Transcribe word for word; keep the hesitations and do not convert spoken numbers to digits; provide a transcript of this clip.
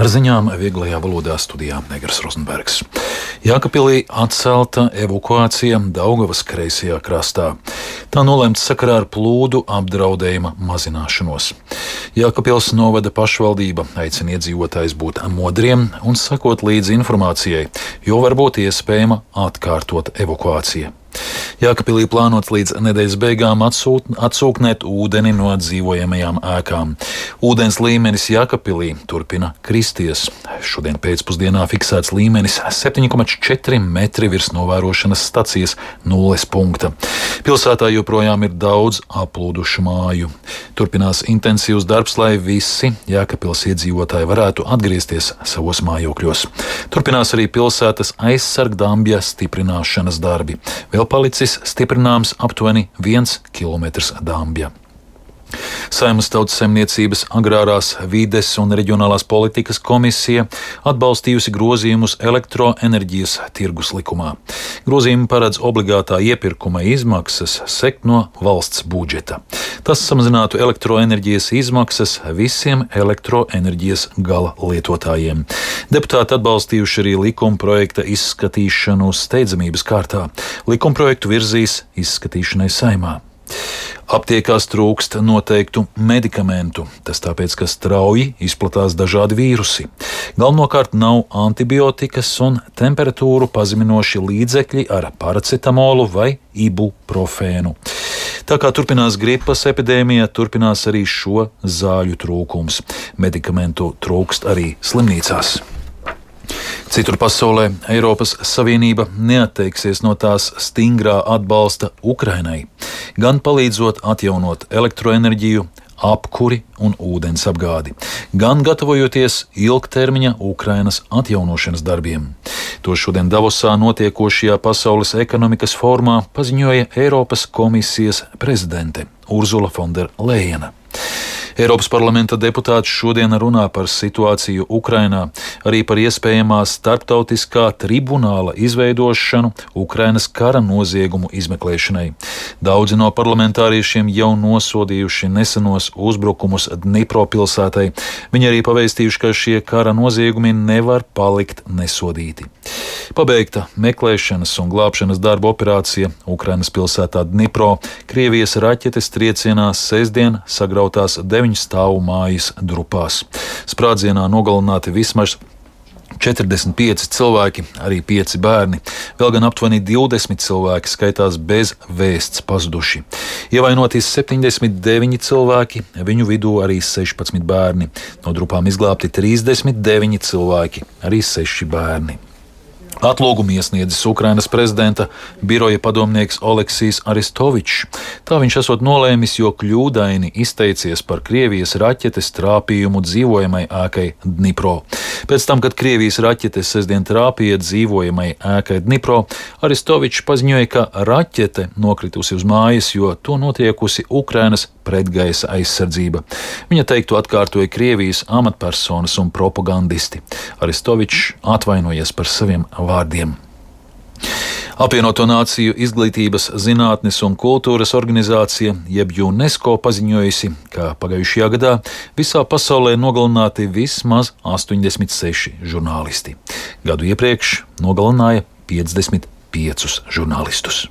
Ar ziņām vieglajā valodā studijā Negras Rozenbergs. Jākapilī atcelta evakuācija Daugavas kreisajā krastā. Tā nolemta sakarā ar plūdu apdraudējuma mazināšanos. Jākapils novada pašvaldība aicina iedzīvotājus būt modriem un sekot līdzi informācijai, jo var būt iespējama atkārtot evakuācija. Jākapilī plānots līdz nedēļas beigām atsūt, atsūknēt ūdeni no dzīvojamajām ēkām. Ūdens līmenis Jākapilī turpina kristies. Šodien pēcpusdienā fiksēts līmenis septiņi komats četri metri virs novērošanas stacijas nulles punkta. Pilsētā joprojām ir daudz aplūdušu māju. Turpinās intensīvs darbs, lai visi Jākapils iedzīvotāji varētu atgriezties savos mājokļos. Turpinās arī pilsētas aizsargdambja stiprināšanas darbi. Vēl palicis stiprināms aptuveni viens kilometrs dambja. Saeimas Tautsaimniecības, agrārās vides un reģionālās politikas komisija atbalstījusi grozījumus elektroenerģijas tirgus likumā. Grozījumi paredz obligātā iepirkuma izmaksas sekt no valsts budžeta. Tas samazinātu elektroenerģijas izmaksas visiem elektroenerģijas gala lietotājiem. Deputāti atbalstījuši arī likuma projekta izskatīšanu steidzamības kārtā. Likuma projektu virzīs izskatīšanai Saeimā. Aptiekās trūkst noteiktu medikamentu, tas tāpēc, ka strauji izplatās dažādi vīrusi. Galvenokārt nav antibiotikas un temperatūru pazeminoši līdzekļi ar paracetamolu vai ibuprofēnu. Tā kā turpinās gripas epidēmija, turpinās arī šo zāļu trūkums. Medikamentu trūkst arī slimnīcās. Citur pasaulē Eiropas Savienība neatteiksies no tās stingrā atbalsta Ukrainai, gan palīdzot atjaunot elektroenerģiju, apkuri un ūdens apgādi, gan gatavojoties ilgtermiņa Ukrainas atjaunošanas darbiem. To šodien Davosā notiekošajā Pasaules ekonomikas formā paziņoja Eiropas komisijas prezidente Urzula Fonda Lejena. Eiropas parlamenta deputāti šodien runā par situāciju Ukrainā, arī par iespējamā starptautiskā tribunāla izveidošanu Ukrainas kara noziegumu izmeklēšanai. Daudzi no parlamentāriešiem jau nosodījuši nesenos uzbrukumus Dnipro pilsētai. Viņi arī pavēstījuši, ka šie kara noziegumi nevar palikt nesodīti. Pabeigta meklēšanas un glābšanas darba operācija Ukrainas pilsētā Dnipro. Krievijas raķetes triecienā sestdien sagrautās deviņu stāvu mājas drupās. Sprādzienā nogalināti vismaz četrdesmit pieci cilvēki, arī pieci bērni. Vēl gan aptuveni divdesmit cilvēki skaitās bez vēsts pazuduši. Ievainoti septiņdesmit deviņi cilvēki, viņu vidū arī sešpadsmit bērni. No drupām izglābti trīsdesmit deviņi cilvēki, arī seši bērni. Atlūgumu iesniedzis Ukrainas prezidenta biroja padomnieks Oleksijs Aristovičs. Tā viņš esot nolēmis, jo kļūdaini izteicies par Krievijas raķetes trāpījumu dzīvojamai ēkai Dnipro. Pēc tam, kad Krievijas raķetes sestdien trāpīja dzīvojamai ēkai Dnipro, Aristovičs paziņoja, ka raķete nokritusi uz mājas, jo to notriekusi Ukrainas pretgaisa aizsardzība. Viņa teiktu atkārtoja Krievijas amatpersonas un propagandisti. Aristovičs atvainojies par saviem vārdiem. Apvienoto Nāciju izglītības, zinātnes un kultūras organizācija, jeb UNESCO, paziņojusi, ka pagājušajā gadā visā pasaulē nogalināti vismaz astoņdesmit seši žurnālisti. Gadu iepriekš nogalināja piecdesmit piecus žurnālistus.